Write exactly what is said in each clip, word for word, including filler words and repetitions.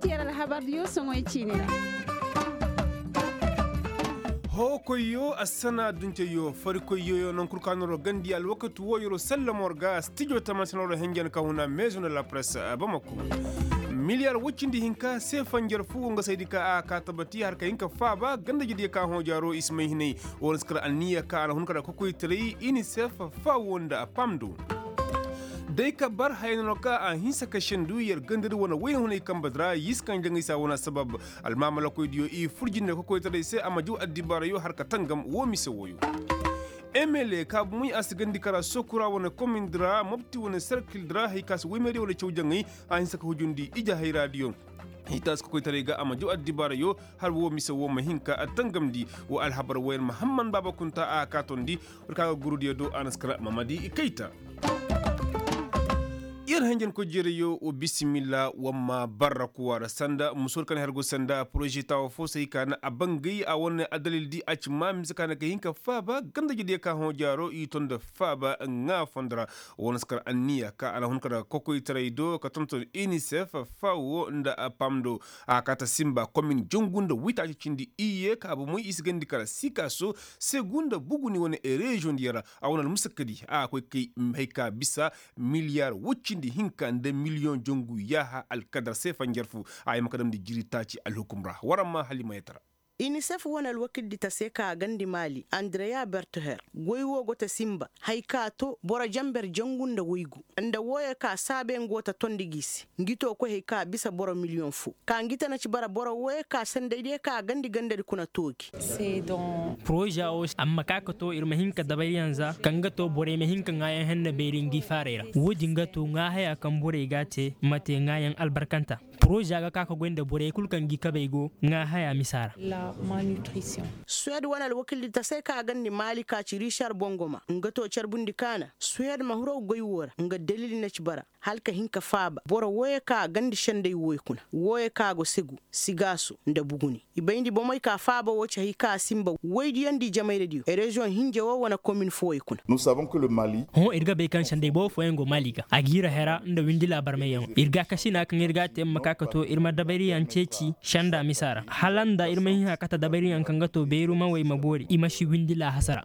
Tiyar alhabar diyo soŋoy ciine ra. Hookoyyo assana adduncayyo farikoyyo yo nankul ka noro gandi alwakati wo yoro sallamor ga stijo tamansinoro henjen ka huna maison de la presse bamako. Miliyar woy cindi hinka se fanjar fu wo nga saydi ka a ka tabati har ka hin ka faaba gandajediyo ka hõ jaaro i si may hinay. Wo na si kar anniya ka a na hun ka da kokoytaray inisef, fawo nda pamdo. Day ka bar haya no ka a hinsa ka sendu yer gandadi wane wayna hunay kambadi ra y'i si kaŋ jaŋay se a wane assabab. Almaamalakoydiyo i fur jinde kokoytaray se a ma jaw addibaarayo har ka tangam wo mise wooyo. Emele ka bumey a si gandi kara sokura wane komindi ra mobti wane serkildi ra hari ka si woymeediyo wane caw jaŋay a hinsa ka hujundi ije hayraadiyo. Hitaasi kokoytaray ga a ma jaw addibaarayo har wo mise wo ma hin ka tangamndi. Wo alhabar woyar mahamman baaba kunta a kaatondi. War ka ga gurudiyo do a na si kara mamadi kayta. Yer hanjankoy jeerayo wa bisimilla wamma barra kuwa ra sanda musoor kaŋ har go sanda poroze taawa fo se hay ka na a bangay a wane addalil di a ci ma mise ka na ka hin ka faaba ganda jediyo ka hõ jaaro i to nda faaba ŋaa fondo ra. Wane si kar anniya ka a na hun ka daga kokoytaray do ka tonton inisef, fawo nda pam do. A kaata simba komin jangu nda witaaci cindi iyye ka bomoy i si gandi kala sikaso, segu nda buguni wane reziyoŋ diyo ra. A wane almusakkadi a koy kay hay ka bisa miliyar wuccindi hinka nda miliyoŋ jangu yaaha alkadar se fanjar fu. A ye ma ka damndi jiritaaci alhukum ra war amma halimayatara. Inisef wane alwakildi ta se ka a gandi maali andreya bertoher goy wo go ta simba, hay ka to boro janber jangu nda waygu nda wooyo ka saabe nga wo ta tondi gi se. Ngi to koy hay ka bisa boro miliyoŋ fo ka ngi ta na ci bara boro wooyo ka sandaydiyo ka a gandi gandadi kuna toogi. Poroza wo amma ka ka to ir ma hin ka dabayyaŋ za kaŋ ga to borey ma hin ka ŋaayaŋ henne beeri ngi faaray ra. Woodin ga to ŋaahaya kaŋ borey ga a te ma te ŋaayaŋ albarkanta. Poroza ga ka ka goy nda borey kul kaŋ gi kabey go ŋaahaya misa ra. Suwed wane alwakildi ta se ka a gandi maali ka ci rishar bongoma nga to carbundi kaana suwed ma hiro goy wo ra nga dalil na ci bara. Hala ka hin ka faaba boro wooyo ka a gandi senday wooyo kuna wooyo ka go segu, sigaaso nda buguni. I bayndi bomey ka faaba woo ci hay ka a simba woydiyaŋ di jamayradiyo reziyoŋ hinja woo wane komin fooyo kuna. Hõ ir ga bay kaŋ senday boobo fooyaŋ go maali ga a ga ir a hera nda windi laabarmayyaŋo ir ga a kasina kaŋ ir ga a te ma ka ka to ir ma dabayriyaŋ ceeci senda misa ra hala nda ir ma hin a kate dabayriyaŋ kaŋ ga to beeru mawey ma boori i ma si windi laahasa ra.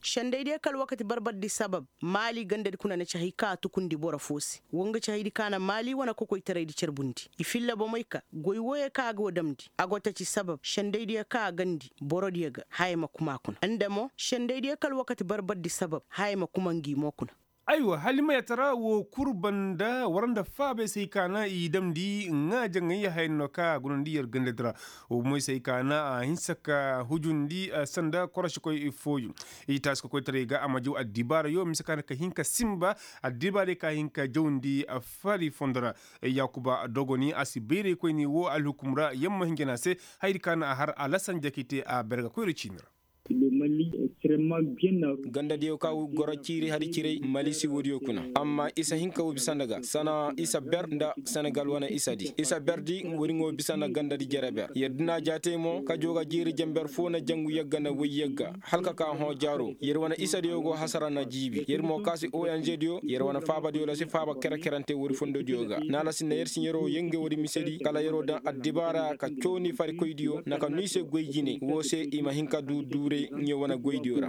Sendaydiyo kaŋ alwakati barbardi sabab maali gandadi kuna na ci hay kaŋ a tukundi boro fo se. Wo nga ci haydi kaŋ a na maali wane kokoytaraydi carbundi i filla bomey ka goy wooyo kaŋ a go damndi a go ta ci sabab sendaydiyo kaŋ a gandi borodiyo ga haya ma kuma kuna nda mo sendaydiyo kaŋ alwakati barbardi sabab haya ma kuma ngi mo kuna. Aywa halimayatara wo kul banda war nda faabey se hay ka na i damndi ŋaajaŋey haya no kaŋ a gunandi yer gandadi ra. Wo moy se hay ka na a hinsa ka hujundi sanda korosikoy fooyo. I taasi ka koytaray ga a ma jaw addibaarayo mise ka na ka hin ka simba addibaarey ka hin ka jawndi fari fondo ra. Yaakuba dogoni a si bayraykoyni wo alhukum ra yamma hinja na a se. Hayadi ka na a har alasan jakite a berga koyra ciini ra. Gandadiyo ka goro ciiri hari ciray mali si woodiyo kuna amma isa hinka wo bisa nda ga sana isa ber nda senegal wane isadi isa berdi wariŋo bisa nda gandadi jere ber yer dina jaatey mo kajo ga jiiri jenber fo na jangu yagga na way yagga. Hala ka ka hõ jaaro yer wane isadiyo go hasara na jiibi yer mo kaasi ong diyo yer wane faabadiyo ra si faaba kere-kerante wari fondodiyo ga na ala si na yer si yeroo yenge wari misedi kala yeroo daŋ addibaara ka cooni farikoydiyo na ka nu i se goy jinay woo se i ma hin ka du duuray ɲe wane goydiyo ra.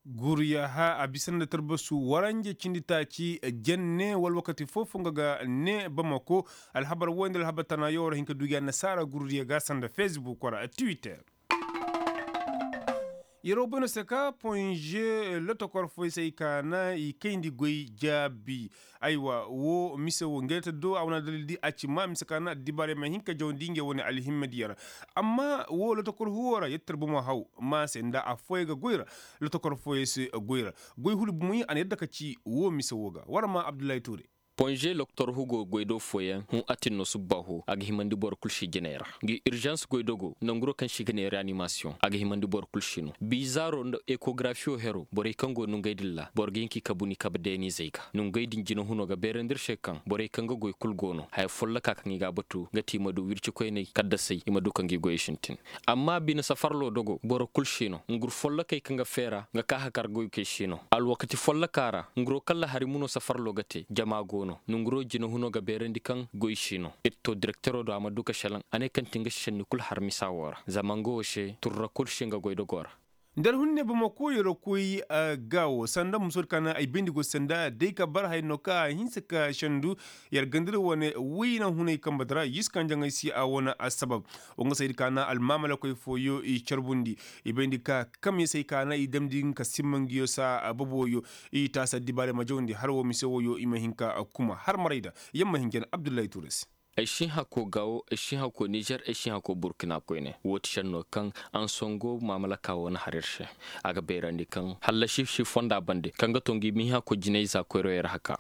Guryaha a bisa nda tarbasu waranje cindi taaci jenne wala wakati foo-foo nga ga ne bamako. Alhabar woy nda alhabar tanaayoo ra hin ka du gi annasaara gurdiyo ga sanda fesbuk wala twitter. Yeroo bay no se ka ponze lotokor fooyey se ay ka na i kayndi goy jaabi. Aywa woo mise woo ngey ta do a wane addalil di a ci maa mise ka na addibaarey ma hin ka jawandi ngey wane alhimmadiyo ra. Amma woo lotokor huwoo ra yettar bomo haw maa se nda affooyaŋ ga goy ra. Lotokor fooyey se goy ra. Goy huru bomoyaŋ a na yadda ka ci woo mise woo ga war maa abdullahi tuure. Ponze loktor hugo goy do fooyaŋ hõ atin no subbaaho a ga himandi boro kul se jinay ra. Ngi irzans goy dogo nanguro kaŋ se i ga ne reanimasiyoŋ a ga himandi boro kul se no biizaaro nda ekografiyo hero borey kaŋ go no ngey din ra boro ga hin ka i kabu ni kabe deenizey ga. Nongey din jinahuno ga beerandi ir se kaŋ borey kaŋ ga goy kul go no haya folloka kaŋ i ga a batu nga ti i ma du wircikoyney kaddasey i ma du ka ngi goyey sintin. Amma bine safarlo dogo boro kul se no ngur follokey kaŋ ga feera nga ka hakar goykey se no alwakati folloka ra nguro kalla hari muno safarlo ga te jama go no. Nonguroo jinahuno ga beerandi kaŋ goy si no ir to direkteroo do a ma du ka šelaŋ a ne kaŋ ti nga si šenni kul har misa woo ra zama nga woo se turra kul si nga goy dogoo ra. Nda alhunne bamako yer koy, gaawo sanda musoodi ka na ay bayndi go sanda day ka bar haya no kaŋ a hinse ka sendu. Yer gandira wane wayna hunay kambe di ra yis kaŋ jaŋay si a wane assabab. Wa nga saydi ka na almaamalakoy fooyo i carbundi i bayndi ka kamyasey ka na i damndi nga ka simma ngiyo saa boboyo. I taasi addibaarey ma jawndi har wo mise woyo i ma hin ka kuma har maray da. Yamma hin jana abdullahi tuure se. Ay si hin hakoo gaawo ay si hin hakoo nizer ay si hin hakoo burkina koyne woo ti šennoo kaŋ ansongo maamalaka woo na har ir se. A ga bayrandi kaŋ hallasi si fonda bande kaŋ ga to ngi ma hin hakoo jinay za koyroyey ra haka.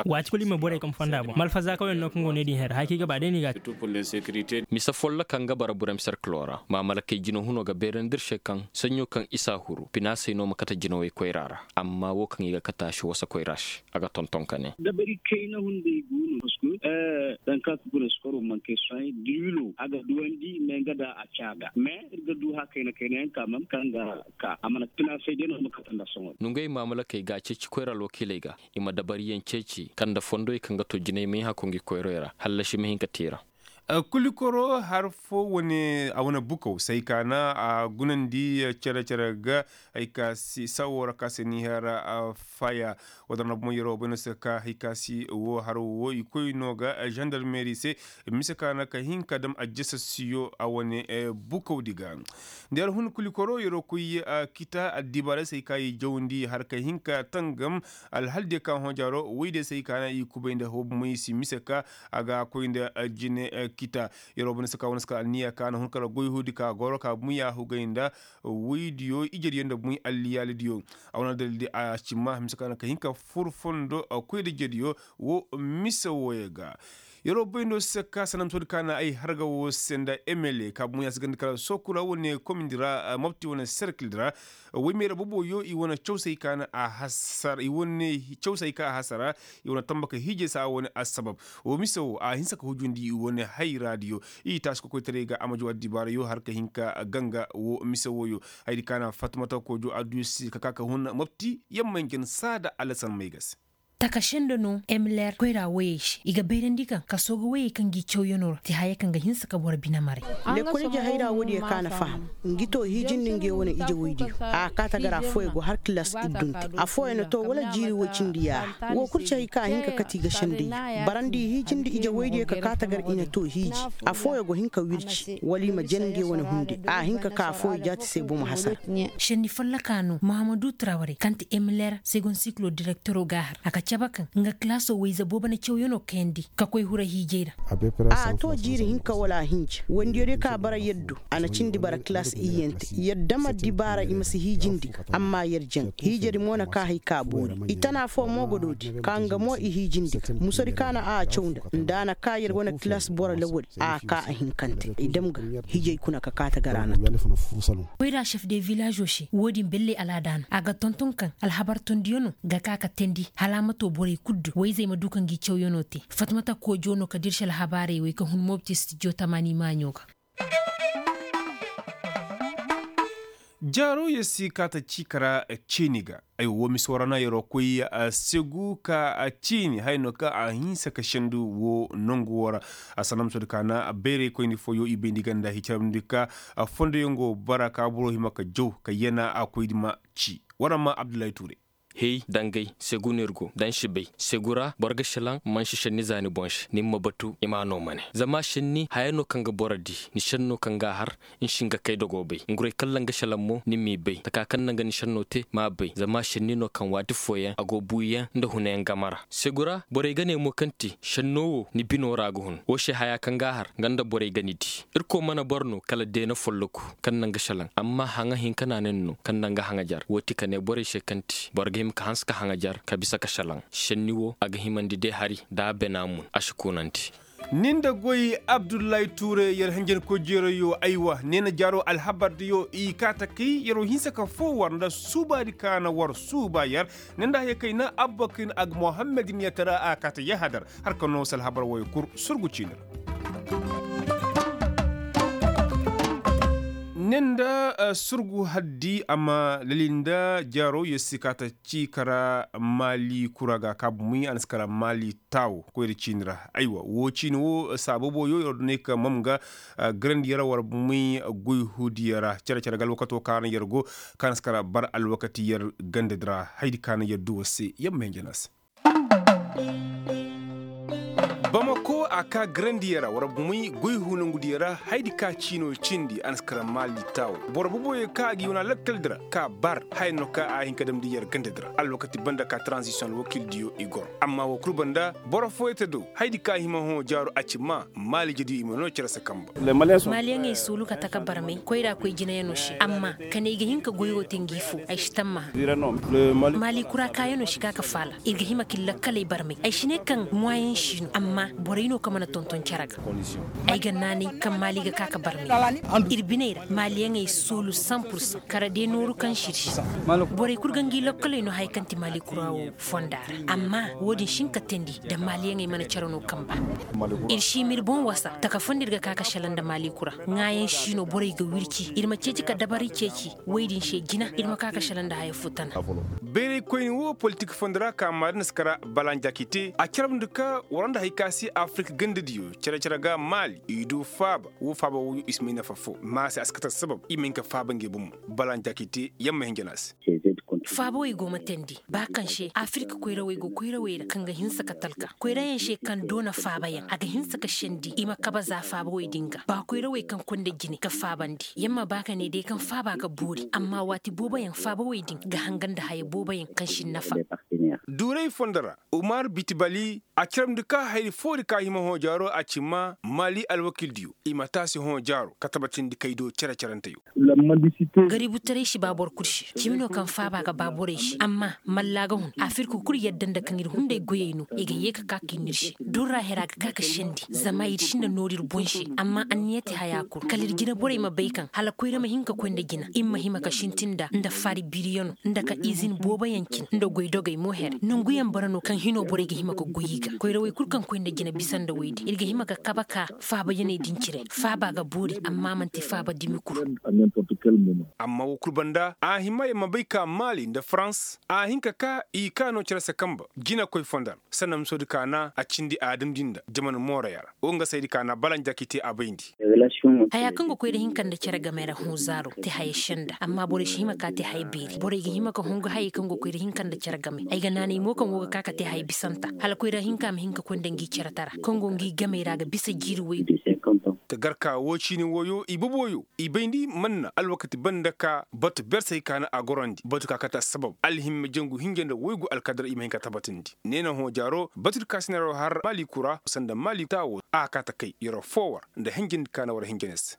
Waati kulu i ma borey kaŋ fonda boŋ malfazaakaw yaŋ no kaŋ go ne din her haya kaŋ i ga ba day no i ga a te. Mise folloka nga bara burem serkiloo ra maamalakey jinahuno ga bayrandi ir se kaŋ saɲɲo kaŋ isa huru pinaasey no ma kate jinawey koyra ra. Amma woo kaŋ i ga kate a si wasa koyra se a ga tonton ka ne. Dabari kayna hunday go no parceque daŋ kaŋ a ga guna sukaro manke sohãy diwilo a ga duwandi mais nga da a caa ga mais ir ga du haya kayna kayna yaŋ ka man kaŋ ga ka a mana pinaasey day no ma kate nda sohõ. Nongey maamalakey ga a ceeci koyra alwakiiley ga i ma dabariyaŋ ceeci kaŋ nda fondoy kaŋ ga to jinay may hako ngi koyroy ra hallasi ma hin ka tiira. Kulikoro har fo wane a wane bukaw say ka na a gunandi cere-cere ga. Hay ka si sawo ra ka se ni hera faya. Wadar na bomo yero bayno se ka hay ka si wo har wo i koy no ga gendarmeri se. Mise ka na ka hin ka dam a jesa siyo a wane bukaw di ga. Nda yar hun kulikoro yero koy kita addibaray se hay ka i jawndi har ka hin ka tangam. Alhal diyo ka hõ jaaro woy diyo se hay ka na i kubay nda hoobu moy si mise ka a ga koy nda jine kita. Yer wo banda se ka wane se ka alniya ka na hun kala goy huudi ka goro ka bunya hugay nda woy diyo ije diyo nda buny alliyaali diyo. A wane dalil di a ci ma mise ka na ka hin ka fur fondo koy nda ije diyo. Wo mise wooyo ga. Yer wo bay no se ka sanda misoodi ka na ay harga wo se nda emele ka bunya se ganda kala sokura wane komindi ra mopti wane serkil di ra. Woy meera boboyo i wane cawsay ka na a hasara i wane cawsay ka a hasara. I wane tamba ka hiijay se a wane assabab. Wo mise wo a hinsa ka hujundi i wane hayra diyo. I taasi kokoytaray ga a ma jaw addibaarayo har ka hin ka ganga wo mise woyo. Hayadi ka na fatmata kojo adduyo se ka ka ka hun mopti yamma njen saada alasan may ga se. Taka sendo no emler koyra woyey se i ga bayrandi kaŋ kasoo ga woyey kaŋ gi cawyanoo ra ti haya kaŋ ga hinsa ka boro bine maray. Lekkol ije hayra woodiyo ka na faham. Ngi to hiijindi nge wane ije woydiyo a kaa tagar affooyo go har kilas iddunte affooyo na to wala jiiri woy cindi yaaha. Wo kul ci hay ka a hin ka kate i ga sendey. Barandi i hiijindi ije woydiyo ka kaa tagar i na to hiiji. Affooyo go hin ka wirci wala i ma jen nge wane hunde a hin ka kaa affooyo jaati se bomo hasara. Senni folloka no mahamadu traware kaŋ ti emler segon sikilo direktero ga a har a ka cabe kaŋ nga kilaso wayze boobo na cawyanoo kayandi ka koy hura hiijay ra. A to jiiri hinka wala hinja wandiyo day ka bara yaddo. A na cindi bara kilas iyyante yadda ma dibaara i ma si hiijindi. Amma yar jaŋ hiijadi mo na ka hay ka boori i tana fo mo godoodi ka nga mo i hiijindi. Musodi ka na a caw nda nda a na ka yar wane kilas boro lawali a ka a hinkante i dam ga. Hiijay kuna ka kaata ga ra na to. Koyra chef de villazo se wo-din belle alaada no a ga tonton kaŋ alhabar tondiyo no ga ka ka teendi hala a ma to borey kulu du wayzey ma du ka ngi cawyanoo te. Fatmata koojo no ka dirsi alhabaarey wey ka hun mobti stijo tamaani maaɲo ga. Jaaro yer si kaata ciika ra ceeni ga. Ay wo miso ra na yeroo koy segu ka ceeni haya no kaŋ a hinsa ka sendu wo nongu wo ra. A sanda misoodi ka na bayraykoyni fooyo i bayndi ganda hicarandi ka fondoyaŋ go bara ka boro hima ka jaw ka yana a koydi ma ci. War ma abdullahi tuure. Hey dangay segu no ir go da ni si bay segu ra boro ga šelaŋ mansi šenni za ni boŋ se ni ma batu i ma a no mane zama šenni haya no kaŋ ga boro di. Ni šenno kaŋ ga a har ni si hin ga kay dogo bay nguray kallaŋ ga šelaŋ mo ni m'i bay taka kaŋ naŋ ga ni šenno te m'a bay zama šenni no kaŋ waati fooyaŋ a go buuyaŋ nda hunayaŋ game ra. Segu ra borey ga ne mo kaŋ ti šenno wo ni bino ra ga hun wo se haya kaŋ ga a har nga nda borey ga ni di. Irkoy mana boro no kala deena folloku kaŋ naŋ ga šelaŋ amma haŋa hinka na nin no kaŋ naŋ ga haŋajar wo ti ka ne borey se kaŋ ti boro ga hima ka hanse ka haŋajar ka bisa ka šelaŋ šenni wo a ga himandi day hari da a bena mun a si kunandi. Nin da goy abdullahi tuure yer hanjankoy jeerayo aywa neena jaaro alhabar diyo i kaata kay yeroo hinsa ka foo war nda suubaadi ka na war suuba yer. Nin da haya kay na abba ka hin a ga mohammed nin yatara a kaata yahadar. Har ka noo se alhabar woyo kul surgu ciini ra. Ne nda surgu haddi a ma lali nda jaaro yer si ka ta ci kara maali kura ga ka bumi a na si kara maali taawo koyra ciini ra. Aywa woo ciini woo saa boobo yo yer du ne ka mam ga garandi yer war bumi goy huudiya ra cere cere ga alwakato ka na yer go ka na si kara bar alwakati yer ganda di ra haydi ka na yer du war se yer ma hin jana se. Bamako a ka garandiya ra war bumey goy hunangudiya ra haydi ka ciino cindi a na si kara maali taawo boro boboyo ka a ga i wane lakkal di ra ka bar haya no ka a hin ka damndi yer ganda di ra alwakati banda ka taranzisiyoŋ alwakildiyo i goro amma woo kul banda boro fooyey te do haydi ka hima hõ jaaro a ci maa maali jediyo i ma noo cere se kamba. Maaliyaŋey suulu ka taka barmey koyra koy jinayanoo se amma ka ne ay ga hin ka goy woo te ngi foo ay si tammaha. Maali kura kaayanoo si ka ka faala ir ga hima ka ir lakkaley barmey ay si ne kaŋ muwayaŋ si no amma borey no kaŋ mana tonton cere ga. Ay ga naanay kaŋ maali ga ka ka barmey ir biney ra maaliyaŋey soolu san pursan kara de nooru kaŋ si ir se. Borey kul ga ngi lakkaley no haya kaŋ ti maali kura woo fonda ra amma woo din si hin ka teendi nda maaliyaŋey mana cere no kamba. Ir si ma ir boŋ wasa taka foo nda ir ga ka ka selaŋ nda maali kura ŋaayaŋ si no borey ga wirci ir ma ceeci ka dabari ceeci woy din se jina ir ma ka ka selaŋ nda haya foo tana. Bayray koyni woo politik fondo ra ka maadin si kara balanjaki te a carabndi ka war nda hari ka se afirik gandadiyo cere-cere ga maali i du faaba woo faaba wooyo i si may nafa foo ma se a si kate sabab i ma hin ka faaba ngey bomo. Balanjaki te yamma hinjana se. Faabawey go ma teendi ba kaŋ se afirik koyrawey go koyrawey ra kaŋ ga hinsa ka talka koyrayaŋ se kaŋ doona faabayaŋ a ga hinsa ka sendi i ma kabe za faabawey din ga ba koyrawey kaŋ konda jine ka faabandi yer ma ba ka ne day kaŋ faaba ga boori amma waati booboyaŋ faabawey din ga hanga nda haya booboyaŋ kaŋ si nafa. Duuray fondo ra umar bitibali a carabndi ka hayri foori ka hima hõ jaaro a ci maa maali alwakildiyo i ma taasi hõ jaaro ka tabatindi kaydo cere-ceranteyo. Gaributaray si ba boro kul se cimi no kaŋ faaba ga ba borey se amma mallaa ga hun afirka kul yadda nda kaŋ ir hunday goyey no i ga yee ka ka ka ir no ir se durra hera ga ka ka sendi zama ir sinda nooru ir boŋ se amma anniya te haya kul kala ir jina borey ma bay kaŋ hala koyra ma hin ka koy nda jina ir ma hima ka sintin nda nda faari biiriyanoo nda ka izin booboyaŋ cin nda goy dogey mo here nanguyaŋ bara no kaŋ hino borey ga hima ka goy i ga koyrawey kul kaŋ koy nda jina bisa nda woy din ir ga hima ka kabe ka faabayaney din cire faaba ga boori amma man'ti faaba dumi kul. Amma woo kul banda a hima yer ma bay ka maali nda farans a hin ka ka i kaano cere se kamba jinakoy fondo ra sanda misoodi kaana a cindi a damndi nda jaman mooroya ra woo nga saydi kaana balanjaki te a bayndi. Haya kaŋ ga koy nda hinka nda cere game ra hõ zaaro te haya senda amma borey si hima ka te haya beeri borey ga hima ka hungu hayey kaŋ ga koy nda hinka nda cere game ay ga naanay mo kaŋ woo ga ka ka te haya bisanta hala koyra hinka ma hin ka koy nda ngi cere tara kaŋ go ngi gamey ra ga bisa jiiri woy. Ka gar ka woo ciini wooyo i boboyo i bayndi man na alwakati banda ka batu bersey kaana a gorandi batu ka kate assabab alhimma jangu hinja nda woygu alkadar i ma hin ka tabatindi ne na hõ jaaro batu di ka si neeroo har maali kura sanda maali taawo a ka ta kay yeroo foo war nda hinjandi kaana war hinja ne se.